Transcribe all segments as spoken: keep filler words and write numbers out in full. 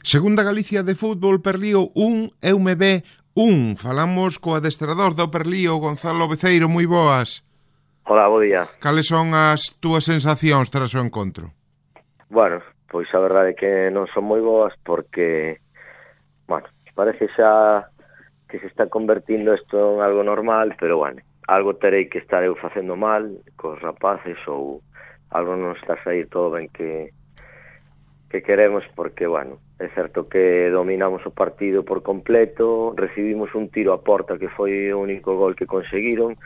Segunda Galicia de fútbol, Perlío un, E U M B un. Falamos co adestrador do Perlío, Gonzalo Beceiro, moi boas. Hola, bo día. Cales son as túas sensacións tras o encontro? Bueno, pois a verdade é que non son moi boas porque, bueno, parece xa que se está convertindo isto en algo normal, pero, bueno, algo terei que estar eu facendo mal cos rapaces ou algo non está a sair todo ben que, que queremos porque, bueno, é certo que dominamos o partido por completo, recibimos un tiro a porta que foi o único gol que conseguiron,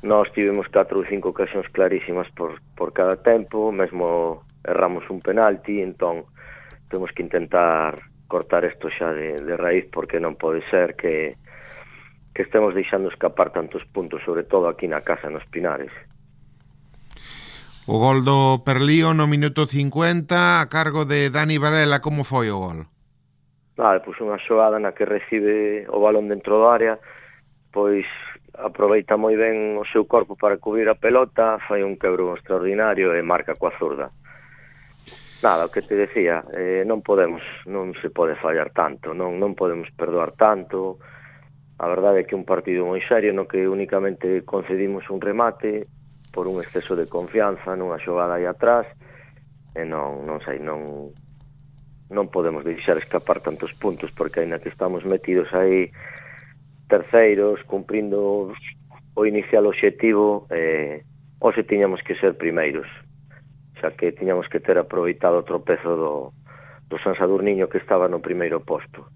nós tivemos catro ou cinco ocasións clarísimas por, por cada tempo, mesmo erramos un penalti, entón temos que intentar cortar isto xa de, de raíz porque non pode ser que, que estemos deixando escapar tantos puntos, sobre todo aquí na casa, nos Pinares. O gol do Perlío no minuto cincuenta a cargo de Dani Varela, como foi o gol? Vale, pois unha xogada na que recibe o balón dentro do área, pois aproveita moi ben o seu corpo para cubrir a pelota, fai un quebro extraordinario e marca coa zurda. Nada, o que te decía, eh, non podemos, non se pode fallar tanto, non, non podemos perdoar tanto. A verdade é que un partido moi serio no que únicamente concedimos un remate por un exceso de confianza nunha xogada aí atrás e non, non sei, non non podemos deixar escapar tantos puntos porque aínda que estamos metidos aí terceiros, cumprindo o inicial obxectivo, eh, hoxe tiñamos que ser primeiros, xa que tiñamos que ter aproveitado o tropezo do, do San Sadurniño que estaba no primeiro posto.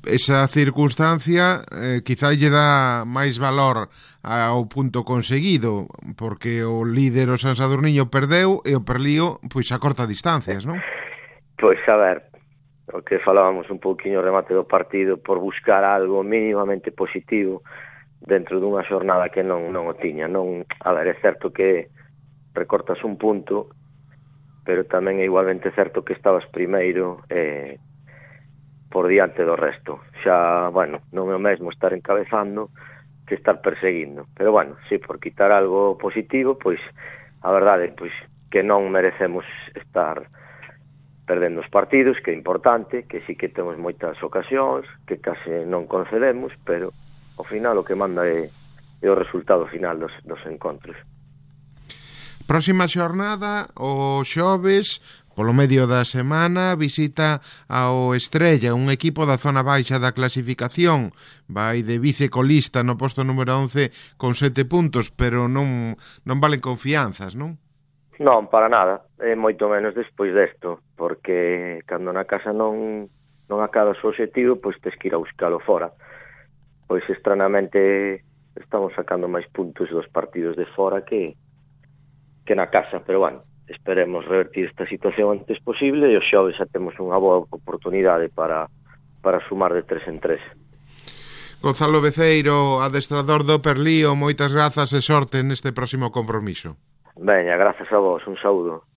Esa circunstancia eh, quizá lle dá máis valor ao punto conseguido, porque o líder o San Sadurniño perdeu e o Perlío pois a corta distancias, non? Pois a ver, o que falábamos un pouquiño o remate do partido, por buscar algo mínimamente positivo dentro dunha xornada que non, non o tiña. Non, a ver, é certo que recortas un punto, pero tamén é igualmente certo que estabas primeiro eh, por diante do resto. Xa, bueno, non é o mesmo estar encabezando que estar perseguindo. Pero, bueno, sí, por quitar algo positivo, pois, a verdade, pois, que non merecemos estar perdendo os partidos, que é importante, que sí que temos moitas ocasións, que case non concedemos, pero, ao final, o que manda é, é o resultado final dos, dos encontros. Próxima xornada, o xoves, polo medio da semana, visita ao Estrella, un equipo da zona baixa da clasificación. Vai de vicecolista no posto número once con sete puntos, pero non, non valen confianzas, non? Non, para nada. É moito menos despois desto, porque cando na casa non, non acabas o objetivo, pois tes que ir a buscalo fora. Pois estranamente estamos sacando máis puntos dos partidos de fora que que na casa, pero, bueno, esperemos revertir esta situación o antes posible e o xoves xa temos unha boa oportunidade para, para sumar de tres en tres. Gonzalo Beceiro, adestrador do Perlío, moitas grazas e sorte neste próximo compromiso. Veña, grazas a vos, un saúdo.